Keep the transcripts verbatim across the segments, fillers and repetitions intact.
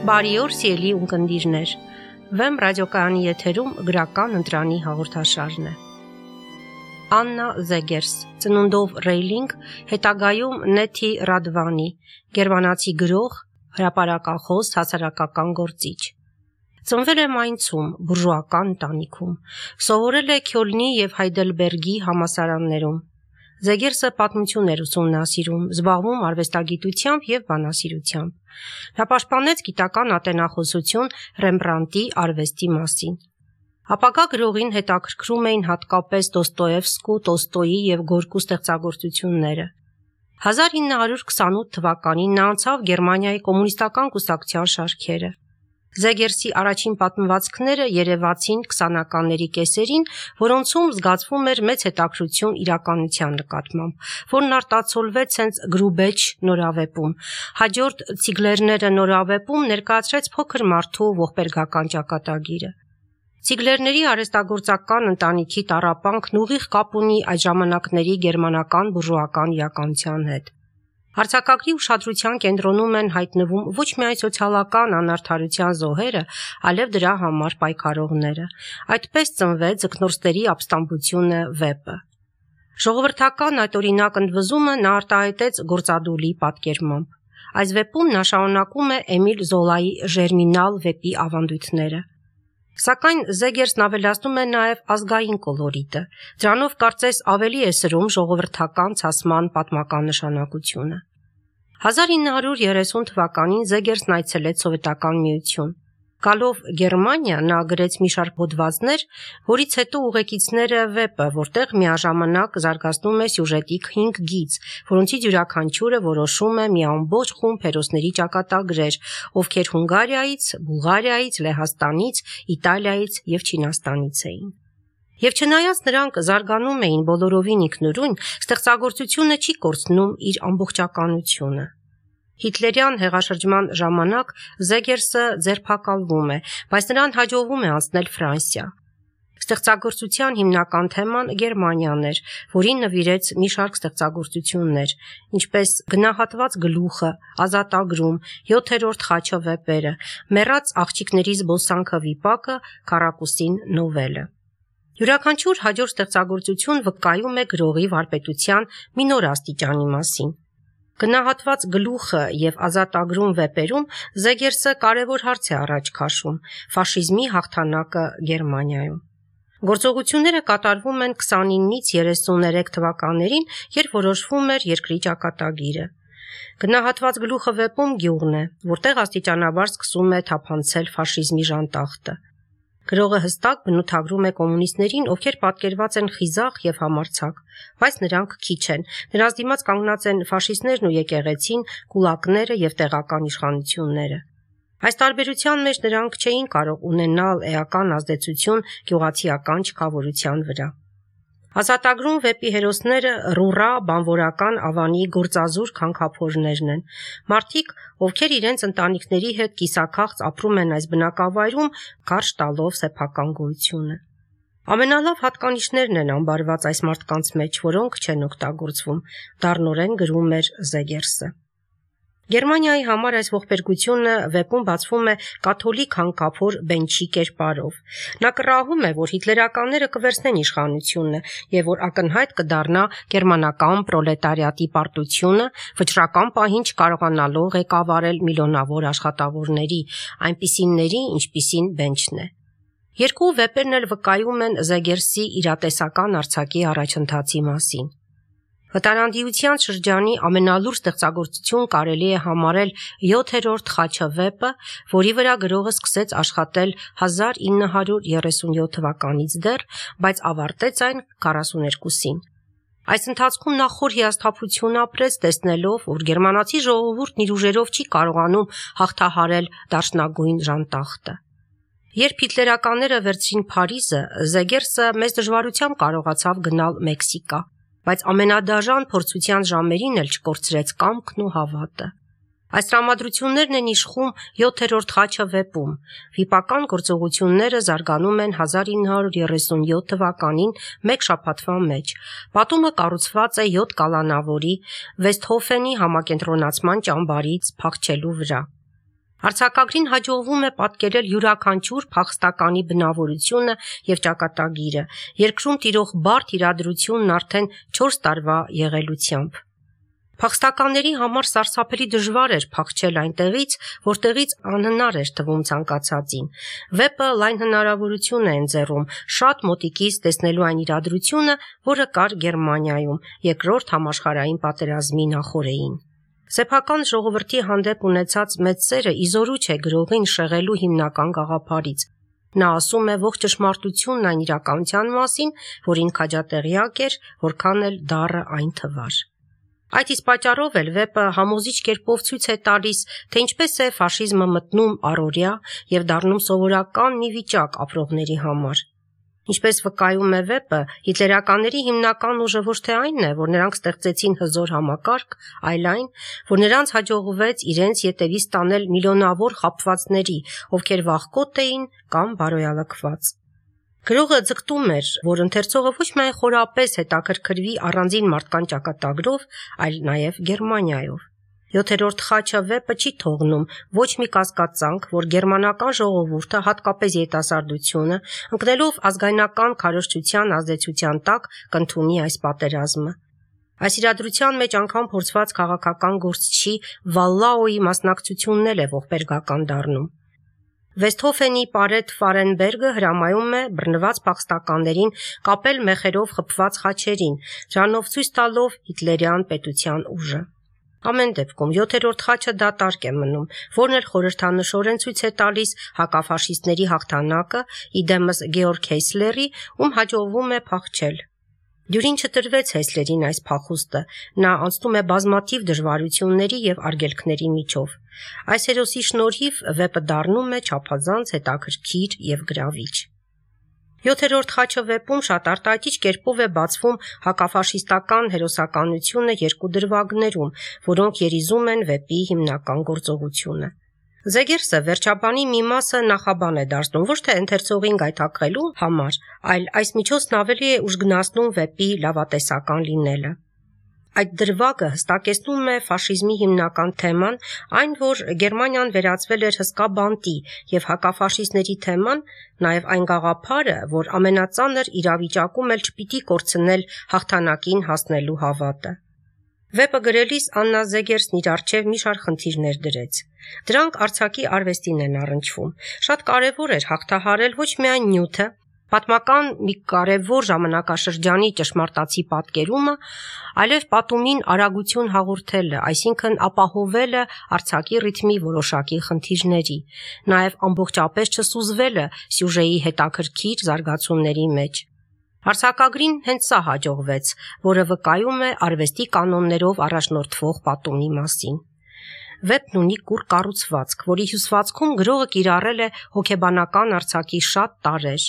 Բարի օր, սիրելի ունկնդիրներ։ Վեմ ռադիոկայանի եթերում գրական ընտրանի հաղորդաշարն է։ Աննա Զեգերս, ծնունդով Ռեյլինգ, հետագայում Նեթի Ռադվանի, գերմանացի գրող, հրապարակախոս, հասարակական գործիչ։ Ծնվել է Մայնցում, բուրժուական ընտանիքում, սովորել է Քյոլնի և Հայդելբերգի համալսարաններում։ Զեգերսը պատմություն էր ուսումնասիրում, զբաղվում արվեստագիտությամբ և բանասիրությամբ։ Նա պաշտպանեց գիտական ատենախոսություն Ռեմբրանտի արվեստի մասին։ Ապագա գրողին հետաքրքրում էին հատկապես Դոստոևսկու, Տոլստոյի և Գորկու ստեղծագործությունները։ հազար ինը հարյուր քսանութ թվականին նա անցավ Գերմանիայի կոմունիստական կուսակցության շարքերը։ Զեգերսի առաջին պատմվածքները երևացին քսանականների կեսերին, որոնցում զգացվում էր մեծ հետաքրքրություն իրականության նկատմամբ, որն արտացոլվեց հենց Գրուբեչ նորավեպում։ Հաջորդ Ցիգլերները նորավեպում ներկայացրեց փոքր մարդու ողբերգական ճակատագիրը։ Ցիգլերների արհեստագործական ընտանիքի տառապանքն ուղիղ կապ ունի այդ ժամանակների գերմանական բուրժուական իրականության հետ։ Արձակագրի ուշադրության կենտրոնում են հայտնվում ոչ միայն սոցիալական անարդարության զոհերը, այլև դրա համար պայքարողները։ Այդպես ծնվեց Ձկնորսների ապստամբությունը վեպը։ Ժողովրդական այդ օրինակ ընդվզումը նա արտահայտեց գործադուլի պատկերմամբ։ Այս վեպում նա շարունակում է Էմիլ Զոլայի Ժերմինալ վեպի ավանդույթները։ Սակայն Զեգերսն ավելացնում է նաև ազգային կոլորիտը։ Դրանով կարծես ավելի է սրում ժողովրդական ցասման պատմական նշանակությունը։ հազար ինը հարյուր երեսուն թվականին Զեգերսն այցելեց Սովետական Միություն։ Գալով Գերմանիա նա գրեց մի շարք հոդվածներ, որից հետո Ուղեկիցները վեպը, որտեղ միաժամանակ զարգացնում է սյուժետի հինգ գիծ, որոնցից յուրաքանչյուրը որոշում է մի ամբողջ խումբ հերոսների ճակատագրեր, ովքեր Հունգարիայից, Բուլղարիայից, Լեհաստանից, Իտալիայից և Չինաստանից էին։ Եվ չնայած նրանք զարգանում էին բոլորովին ինքնուրույն, ստեղծագործությունը չի կորցնում իր ամբողջականությունը։ Հիտլերյան հեղաշրջման ժամանակ Զեգերսը ձերբակալվում է, բայց նրան հաջողվում է անցնել Ֆրանսիա։ Ստեղծագործության հիմնական թեման Գերմանիան էր, որին նվիրեց մի շարք ստեղծագործություններ, ինչպես Գնահատված գլուխը, Ազատագրում, Յոթերորդ խաչը վեպերը, Մեռած աղջիկների զբոսանքը վիպակը, Քառակուսին նովելը։ Յուրաքանչյուր հաջորդ ստեղծագործություն վկայում է գրողի վարպետության մի նոր աստիճանի մասին։ Գնահատված գլուխը և Ազատագրում վեպերում Զեգերսը կարևոր հարց է առաջ քաշում՝ ֆաշիզմի հաղթանակը Գերմանիայում։ Գործողությունները կատարվում են քսանինից երեսուներեք թվականներին, երբ որոշվում էր երկրի ճակատագիրը։ Գնահատված գլուխը վեպում գյուղն է, որտեղ աստիճանաբար սկսում է թափանցել ֆաշիզմի ժանտախտը։ Գրողը հստակ բնութագրում է կոմունիստներին, ովքեր պատկերված են խիզախ և համարձակ, բայց նրանք քիչ են։ Նրանց դիմաց կանգնած են ֆաշիստներն ու եկեղեցին, կուլակները և տեղական իշխանությունները։ Այս տարբերության մեջ նրանք չէին կարող ունենալ էական ազդեցություն գյուղացիական չքավորության վրա։ Ազատագրում վեպի հերոսները ռուռա, բանվորական ավանի գործազուրկ հանքափորներն են։ Մարդիկ, ովքեր իրենց ընտանիքների հետ կիսաքաղց ապրում են այս բնակավայրում, կարճ տալով սեփական գոյությունը։ Ամենալավ հատկանիշներն են ամբարված այս մարդկանց մեջ, որոնք չեն օգտագործվում, դառնորեն գրում էր Զեգերսը։ Գերմանիայի համար այս ողբերգությունը վեպում բացվում է կաթոլիկ հանքափոր Բենչի կերպարով։ Նա կռահում է, որ հիտլերականները կվերցնեն իշխանությունը և որ ակնհայտ կդառնա գերմանական պրոլետարիատի պարտությունը, վճռական պահին չկարողանալով ղեկավարել միլիոնավոր աշխատավորների, այնպիսիների, ինչպիսին Բենչն է։ Երկու վեպերն էլ վկայում են Զեգերսի իրատեսական արձակի առաջընթացի մասին։ Վտարանդիության շրջանի ամենալուրջ ստեղծագործություն կարելի է համարել Յոթերորդ խաչը վեպը, որի վրա գրողը սկսեց աշխատել հազար ինը հարյուր երեսունյոթ թվականից դեռ, բայց ավարտեց այն քառասուներկուսին։ Այս ընթացքում նա խոր հիասթափություն ապրեց, տեսնելով, որ գերմանացի ժողովուրդն իր ուժերով չի կարողանում հաղթահարել դաշնագույն ժանտախտը։ Երբ հիտլերականները վերցրին Փարիզը, Զեգերսը մեծ դժվարությամբ կարողացավ գնալ Մեքսիկա, բայց ամենադաժան փորձության ժամերին էլ չկորցրեց կամքն ու հավատը։ Այս տրամադրություններն են իշխում Յոթերորդ խաչը վեպում։ Վիպական գործողությունները զարգանում են հազար ինը հարյուր երեսունյոթ թվականին մեկ շաբաթվա մեջ։ Պատումը կառուցված է յոթ կալանավորի Վեստհոֆենի համակենտրոնացման ճամբարից փախչելու վրա։ Արձակագրին հաջողվում է պատկերել յուրաքանչյուր փախստականի բնավորությունը եւ ճակատագիրը, երկրում տիրող բարդ իրադրությունն արդեն չորս տարվա եղելությամբ։ Փախստականների համար սարսափելի դժվար էր փախչել այնտեղից, որտեղից անհնար էր թվում ցանկացածին։ Վեպը լայն հնարավորություն է ընձեռում շատ մոտիկից տեսնելու այն իրադրությունը, որը կար Գերմանիայում երկրորդ համաշխարհային պատերազմի նախօրեին։ Սեփական ժողովրդի հանդեպ ունեցած մեծ սերը իզորու չէ գրողին շեղելու հիմնական գաղափարից։ Նա ասում է ողջ ճշմարտությունն այն իրականության մասին, որին քաջատեղյակ էր, որքան էլ դառը այն թվար։ Այդ իսկ պատճառով էլ վեպը համոզիչ կերպով ցույց է տալիս, թե ինչպես է ֆաշիզմը մտնում առօրյա եւ դառնում սովորական մի վիճակ ապրողների համար։ Ինչպես վկայում է վեպը, հիտլերականների հիմնական ուժը ոչ թե այնն է, որ նրանք ստեղծեցին հզոր համակարգ, այլ այն, որ նրանց հաջողվեց իրենց ետևից տանել միլիոնավոր խաբվածների, ովքեր վախկոտ էին կամ բարոյալքված։ Գրողը ձգտում էր, որ ընթերցողը ոչ միայն խորապես հետաքրքրվի առանձին մարդկան ճակատագրով, այլ նաև Գերմանիայով։ Յոթերորդ խաչը վեպը չի թողնում ոչ մի կասկածանք, որ գերմանական ժողովուրդը, հատկապես երիտասարդությունը, ընկնելով ազգայնական քարոզչության ազդեցության տակ, կընդունի այս պատերազմը։ Այս իրադրության մեջ անգամ փորձված քաղաքական գործչի Վալլաոյի մասնակցությունն էլ է ողբերգական դառնում։ Վեստհոֆենի Պարետ Ֆարենբերգը հրամայում է բռնված փախստականներին կապել մեխերով խփված խաչերին, դրանով ցույց տալով հիտլերյան պետության ուժը։ Ամեն դեպքում յոթերորդ խաչը դատարկ է մնում, որն էլ խորհրդանշորեն ցույց է տալիս հակաֆաշիստների հաղթանակը իդեմս Գեորգ Հեսլերի, ում հաջողվում է փախչել։ Դյուրին չտրվեց Հեսլերին այս փախուստը, նա անցնում է բազմաթիվ դժվարությունների եւ արգելքների միջով։ Այս հերոսի շնորհիվ վեպը դառնում է չափազանց հետաքրքիր եւ գրավիչ։ Յոթերորդ խաչը վեպում շատ արտահայտիչ կերպով է բացվում հակաֆաշիստական հերոսականությունը երկու դրվագներում, որոնք երիզում են վեպի հիմնական գործողությունը։ Զեգերսը վերջաբանի մի մասը նախաբան է դարձնում ոչ թե ընթերցողին գայթակղելու համար, այլ այս միջոցն ավելի է ուժգնացնում վեպի լավատեսական լինելը։ Այդ դրվագը հստակեցնում է ֆաշիզմի հիմնական թեման, այն, որ Գերմանիան վերածվել էր հսկա բանտի, եւ հակաֆաշիստների թեման, նաեւ այն գաղափարը, որ ամենածանր իրավիճակում էլ չպիտի կորցնել հաղթանակին հասնելու հավատը։ Վեպը գրելիս Աննա Զեգերսն իր առջև մի շարք խնդիրներ դրեց։ Դրանք արձակի արվեստին են առնչվում։ Շատ կարևոր էր հաղթահարել ոչ միայն նյութը, պատմական մի կարևոր ժամանակաշրջանի ճշմարտացի պատկերումը, այլև պատումին արագություն հաղորդելը, այսինքն ապահովելը արձակի ռիթմի որոշակի խնդիրների, նաև ամբողջապես չսուզվելը սյուժեի հետաքրքիր զարգացումների մեջ։ Արձակագրին հենց սա հաջողվեց, որը վկայում է արվեստի կանոններով առաջնորդվող պատումի մասին։ Վեպն ունի կուռ կառուցվածք, որի հյուսվածքում գրողը կիրառել է հոգեբանական արձակի շատ տարրեր։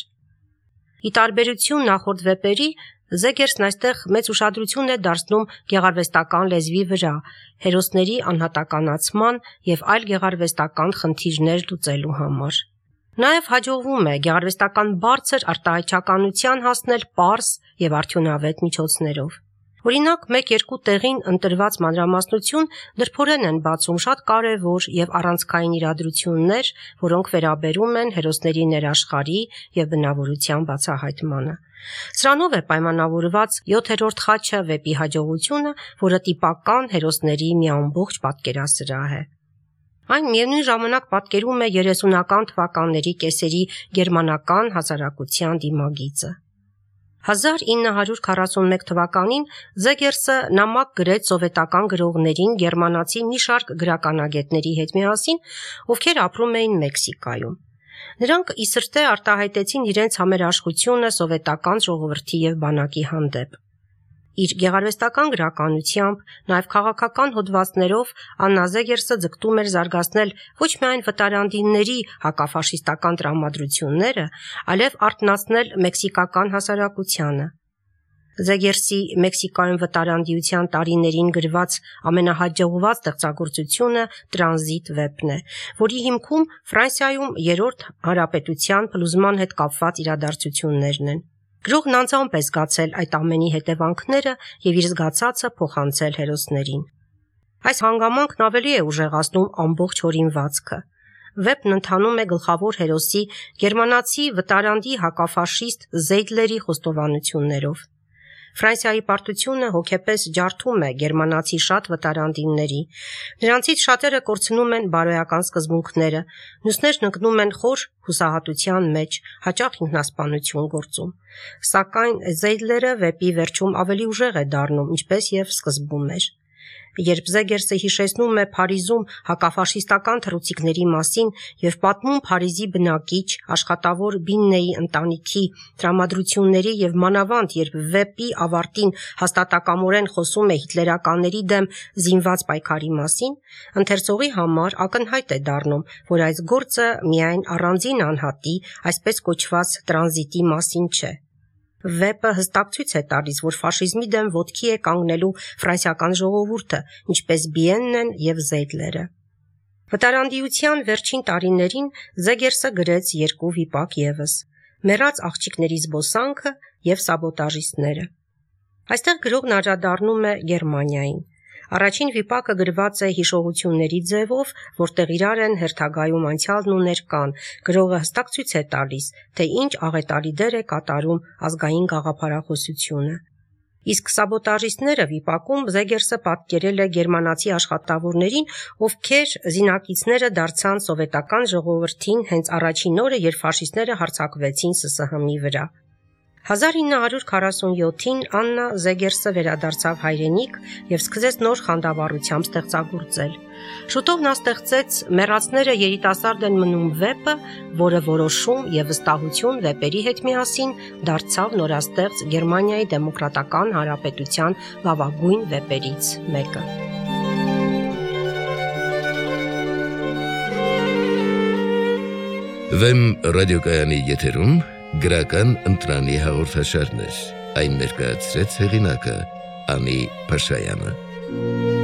Ի տարբերություն նախորդ վեպերի, Զեգերսն այստեղ մեծ ուշադրություն է դարձնում գեղարվեստական լեզվի վրա, հերոսների անհատականացման եւ այլ գեղարվեստական խնդիրներ լուծելու համար։ Նաև հաջողվում է գեղարվեստական բարձր արտահայտչականության հասնել պարզ եւ արդյունավետ միջոցներով։ Օրինակ, մեկ-երկու տեղին ընտրված մանրամասնություն դրփորեն են բացում շատ կարևոր եւ առանցքային իրադրություններ, որոնք վերաբերում են հերոսների ներաշխարհի եւ բնավորության բացահայտմանը։ Սրանով է պայմանավորված յոթերորդ խաչը վեպի հաջողությունը, որը տիպական հերոսների մի ամբողջ պատկերասրահ է։ Այն միևնույն ժամանակ պատկերում է երեսունական թվականների կեսերի գերմանական հասարակության դիմագիծը։ հազար ինը հարյուր քառասունմեկ թվականին Զեգերսը նամակ գրեց սովետական գրողներին գերմանացի մի շարք գրականագետների հետ միասին, ովքեր ապրում էին Մեքսիկայում։ Նրանք ի սրտե արտահայտեցին իրենց համերաշխությունը սովետական ժողովրդի եւ բանակի հանդեպ։ Իր գեղարվեստական գրականությամբ, նաև քաղաքական հոդվածներով Աննա Զեգերսը ձգտում էր զարգացնել ոչ միայն վտարանդիների հակաֆաշիստական տրամադրությունները, այլև արթնացնել մեքսիկական հասարակությանը։ Զեգերսի Մեքսիկայում վտարանդիության տարիներին գրված ամենահաջողված ստեղծագործությունը Տրանզիտ վեպն է, որի հիմքում Ֆրանսիայում երրորդ հանրապետության փլուզման հետ կապված իրադարձություններն են։ Գրողն անձամբ է զգացել այդ ամենի հետևանքները եւ իր զգացածը փոխանցել հերոսներին։ Այս հանգամանքն ավելի է ուժեղացնում ամբողջ հորինվածքը։ Վեպն ընթանում է գլխավոր հերոսի գերմանացի վտարանդի հակաֆաշիստ Զեյդլերի խոստովանություններով։ Ֆրանսիայի պարտությունը հոգեպես ջարդում է գերմանացի շատ վտարանդիների, նրանցից շատերը կորցնում են բարոյական սկզբունքները, մյուսներն ընկնում են խոր հուսահատության մեջ, հաճախ ինքնասպանություն գործում։ Սակայն Զեյդլերը վեպի վերջում ավելի ուժեղ է դառնում, ինչպես եւ սկզբում էր։ Երբ Զեգերսը հիշեցնում է Փարիզում հակաֆաշիստական թռուցիկների մասին եւ պատմում Փարիզի բնակիչ, աշխատավոր Բիննեի ընտանիքի տրամադրությունների եւ մանավանդ երբ վեպի ավարտին հաստատակամորեն խոսում է հիտլերականների դեմ զինված պայքարի մասին, ընթերցողի համար ակնհայտ է դառնում, որ այս գործը միայն առանձին անհատի, այսպես կոչված տրանզիտի մասին չէ։ Վեպը հստակ ցույց է տալիս, որ ֆաշիզմի դեմ ոտքի է կանգնելու ֆրանսիական ժողովուրդը, ինչպես Բիեննեն եւ Զեյդլերը։ Վտարանդիության վերջին տարիներին Զեգերսը գրեց երկու վիպակ եւս՝ «Մեռած աղջիկների զբոսանքը» եւ «Սաբոտաժիստները»։ Այստեղ գրողն անդրադառնում է Գերմանիային։ Առաջին վիպակը գրված է հիշողությունների ձևով, որտեղ իրար են հերթագայում անցյալն ու ներկան, գրողը հստակ ցույց է տալիս, թե ինչ աղետալի դեր է կատարում ազգային գաղափարախոսությունը։ Իսկ «Սաբոտաժիստները» վիպակում Զեգերսը պատկերել է գերմանացի աշխատավորներին, ովքեր զինակիցները դարձան սովետական ժողովրդին հենց առաջին օրը, երբ ֆաշիստները հարձակվեցին Ս Ս Հ Մ-ի վրա։ հազար ինը հարյուր քառասունյոթին Աննա Զեգերսը վերադարձավ հայրենիք եւ սկսեց նոր խանդավառությամբ ստեղծագործել։ Շուտով նա ստեղծեց «Մեռածները երիտասարդ են մնում» վեպը, որը որոշում եւ վստահություն վեպերի հետ միասին դարձավ նորաստեղծ Գերմանիայի դեմոկրատական հանրապետության լավագույն վեպերից մեկը։ Վեմ ռադիոկայանի եթերում գրական ընտրանի հաղորդաշարներ, այն ներկայացրեց հեղինակը Անի Փաշայանը։